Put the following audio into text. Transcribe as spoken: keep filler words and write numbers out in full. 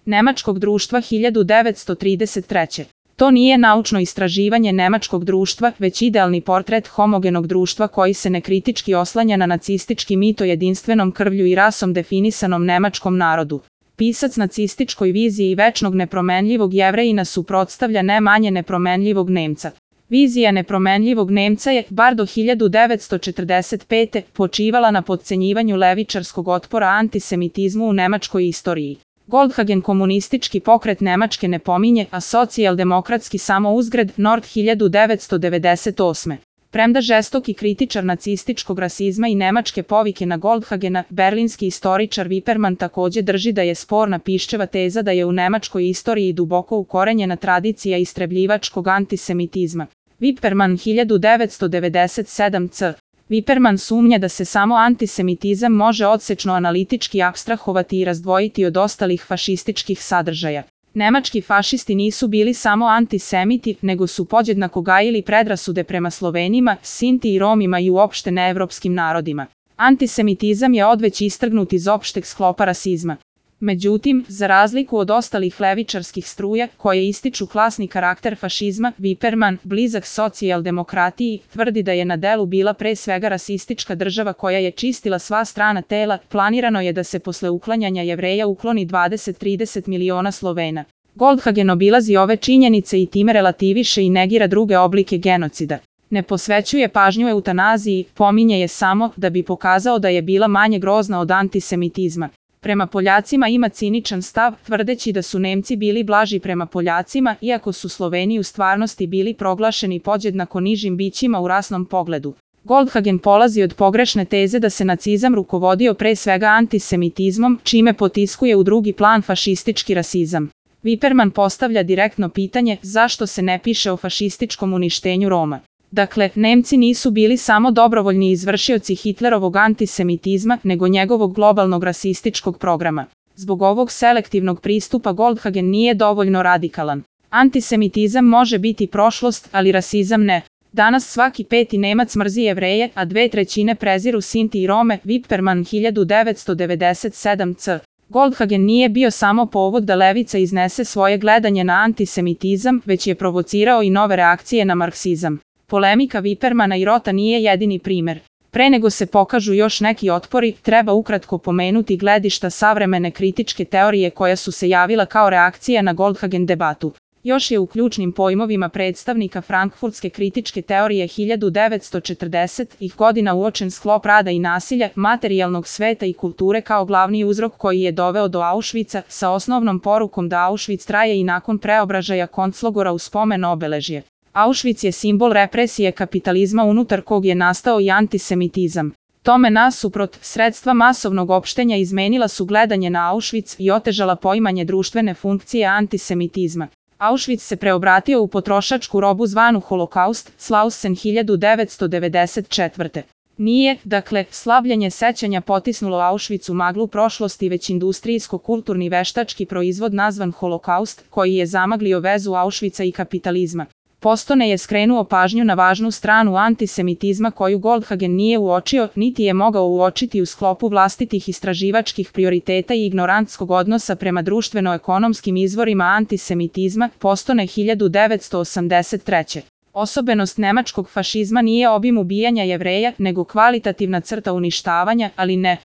nemačkog društva hiljadu devetsto trideset treće. To nije naučno istraživanje nemačkog društva, već idealni portret homogenog društva koji se nekritički oslanja na nacistički mit o jedinstvenom krvlju i rasom definisanom nemačkom narodu. Pisac nacističkoj viziji večnog nepromenljivog Jevrejina suprotstavlja ne manje nepromenljivog Nemca. Vizija nepromenljivog Nemca je, bar do hiljadu devetsto četrdeset pete. počivala na potcenjivanju levičarskog otpora antisemitizmu u nemačkoj istoriji. Goldhagen komunistički pokret Nemačke ne pominje, a socijaldemokratski samo uzgred Nord hiljadu devetsto devedeset osme. Premda žestoki kritičar nacističkog rasizma i nemačke povike na Goldhagena, berlinski istoričar Wiperman takođe drži da je sporna Piščeva teza da je u nemačkoj istoriji duboko ukorenjena tradicija istrebljivačkog antisemitizma. Wiperman hiljadu devetsto devedeset sedam c. Wiperman sumnja da se samo antisemitizam može odsečno analitički apstrahovati i razdvojiti od ostalih fašističkih sadržaja. Nemački fašisti nisu bili samo antisemiti, nego su podjednako gajili predrasude prema Slovenima, Sinti i Romima i uopšte neevropskim narodima. Antisemitizam je odveć istrgnut iz opšteg sklopa rasizma. Međutim, za razliku od ostalih levičarskih struja, koje ističu klasni karakter fašizma, Wiperman, blizak socijaldemokratiji, tvrdi da je na delu bila pre svega rasistička država koja je čistila sva strana tela. Planirano je da se posle uklanjanja Jevreja ukloni dvadeset do trideset miliona Slovena. Goldhagen obilazi ove činjenice i time relativiše i negira druge oblike genocida. Ne posvećuje pažnju eutanaziji, pominje je samo da bi pokazao da je bila manje grozna od antisemitizma. Prema Poljacima ima ciničan stav, tvrdeći da su Nemci bili blaži prema Poljacima, iako su Sloveni u stvarnosti bili proglašeni podjednako nižim bićima u rasnom pogledu. Goldhagen polazi od pogrešne teze da se nacizam rukovodio pre svega antisemitizmom, čime potiskuje u drugi plan fašistički rasizam. Wiperman postavlja direktno pitanje zašto se ne piše o fašističkom uništenju Roma. Dakle, Nemci nisu bili samo dobrovoljni izvršioci Hitlerovog antisemitizma, nego njegovog globalnog rasističkog programa. Zbog ovog selektivnog pristupa Goldhagen nije dovoljno radikalan. Antisemitizam može biti prošlost, ali rasizam ne. Danas svaki peti Nemac mrzi Jevreje, a dve trećine preziru Sinti i Rome. Wiperman hiljadu devetsto devedeset sedam c. Goldhagen nije bio samo povod da levica iznese svoje gledanje na antisemitizam, već je provocirao i nove reakcije na marksizam. Polemika Wipermana i Rota nije jedini primer. Pre nego se pokažu još neki otpori, treba ukratko pomenuti gledišta savremene kritičke teorije koja su se javila kao reakcija na Goldhagen debatu. Još je u ključnim pojmovima predstavnika frankfurtske kritičke teorije hiljadu devetsto četrdesetih godina uočen sklop rada i nasilja, materijalnog sveta i kulture kao glavni uzrok koji je doveo do Auschwitza, sa osnovnom porukom da Auschwitz traje i nakon preobražaja konclogora u spomen obeležje. Auschwitz je simbol represije kapitalizma unutar kog je nastao i antisemitizam. Tome nasuprot, sredstva masovnog opštenja izmenila su gledanje na Auschwitz i otežala poimanje društvene funkcije antisemitizma. Auschwitz se preobratio u potrošačku robu zvanu Holokaust, Slausen hiljadu devetsto devedeset četvrte. Nije, dakle, slavljenje sećanja potisnulo Auschwitz u maglu prošlosti, već industrijsko-kulturni veštački proizvod nazvan Holokaust, koji je zamaglio vezu Auschwitza i kapitalizma. Postone je skrenuo pažnju na važnu stranu antisemitizma koju Goldhagen nije uočio, niti je mogao uočiti u sklopu vlastitih istraživačkih prioriteta i ignorantskog odnosa prema društveno-ekonomskim izvorima antisemitizma. Postone hiljadu devetsto osamdeset treće. Osobenost nemačkog fašizma nije obim ubijanja Jevreja, nego kvalitativna crta uništavanja, ali ne